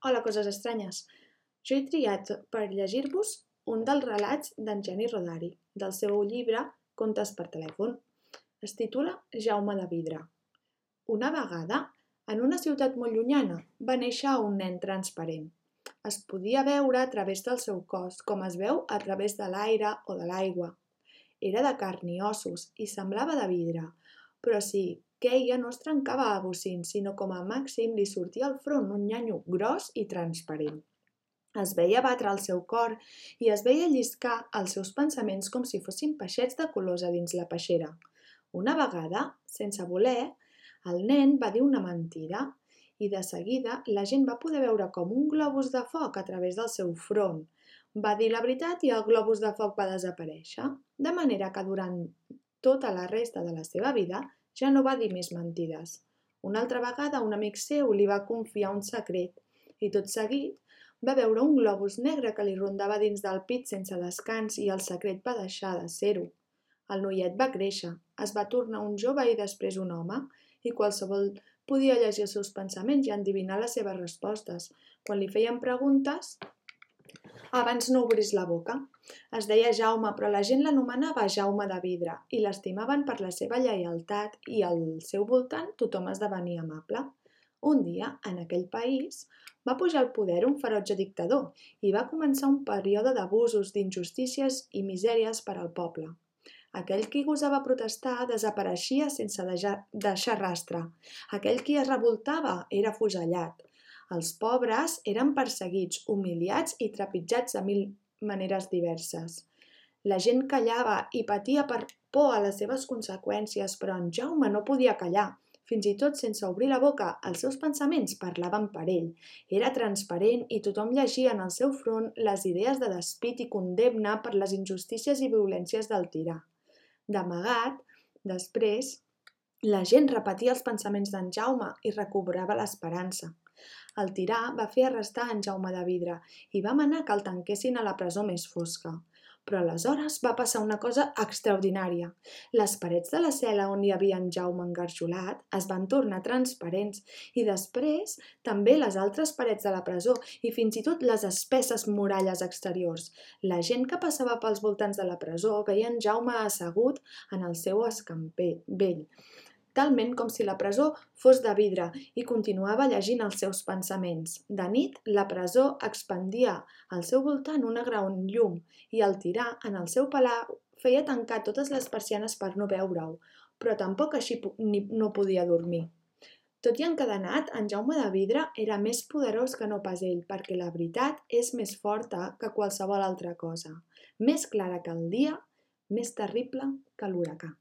Hola, coses estranyes. Jo he triat per llegir-vos un dels relats d'en Geni Rodari, del seu llibre Contes per telèfon. Es titula Jaume de Vidre. Una vegada, en una ciutat molt llunyana, va néixer un nen transparent. Es podia veure a través del seu cos, com es veu a través de l'aire o de l'aigua. Era de carn i ossos i semblava de vidre, però si queia no es trencava a bocins, sinó com a màxim li sortia al front un nyanyo gros i transparent. Es veia batre el seu cor i es veia lliscar els seus pensaments com si fossin peixets de colors a dins la peixera. Una vegada, sense voler, el nen va dir una mentida i de seguida la gent va poder veure com un globus de foc a través del seu front. Va dir la veritat i el globus de foc va desaparèixer, de manera que durant tota la resta de la seva vida ja no va dir més mentides. Una altra vegada un amic seu li va confiar un secret i tot seguit va veure un globus negre que li rondava dins del pit sense descans i el secret va deixar de ser-ho. El noiet va créixer, es va tornar un jove i després un home, i qualsevol podia llegir els seus pensaments i endevinar les seves respostes. Quan li feien preguntes, abans no obrís la boca. Es deia Jaume, però la gent l'anomenava Jaume de Vidre i l'estimaven per la seva lleialtat i al seu voltant tothom esdevenia amable. Un dia, en aquell país, va pujar al poder un ferotge dictador i va començar un període d'abusos, d'injustícies i misèries per al poble. Aquell qui gosava protestar desapareixia sense deixar rastre. Aquell qui es revoltava era afusellat. Els pobres eren perseguits, humiliats i trepitjats de mil maneres diverses. La gent callava i patia per por a les seves conseqüències, però en Jaume no podia callar. Fins i tot sense obrir la boca, els seus pensaments parlaven per ell. Era transparent i tothom llegia en el seu front les idees de despit i condemna per les injustícies i violències del tirà. D'amagat, després, la gent repetia els pensaments d'en Jaume i recobrava l'esperança. El tirà va fer arrestar en Jaume de Vidre i va manar que el tanquessin a la presó més fosca. Però aleshores va passar una cosa extraordinària. Les parets de la cel·la on hi havia en Jaume engarjolat es van tornar transparents i després també les altres parets de la presó i fins i tot les espesses muralles exteriors. La gent que passava pels voltants de la presó veia en Jaume assegut en el seu escamper vell, talment com si la presó fos de vidre i continuava llegint els seus pensaments. De nit, la presó expandia al seu voltant una gran llum i el tirà, en el seu palau, feia tancar totes les persianes per no veure-ho, però tampoc així no podia dormir. Tot i encadenat, en Jaume de Vidre era més poderós que no pas ell, perquè la veritat és més forta que qualsevol altra cosa, més clara que el dia, més terrible que l'huracà.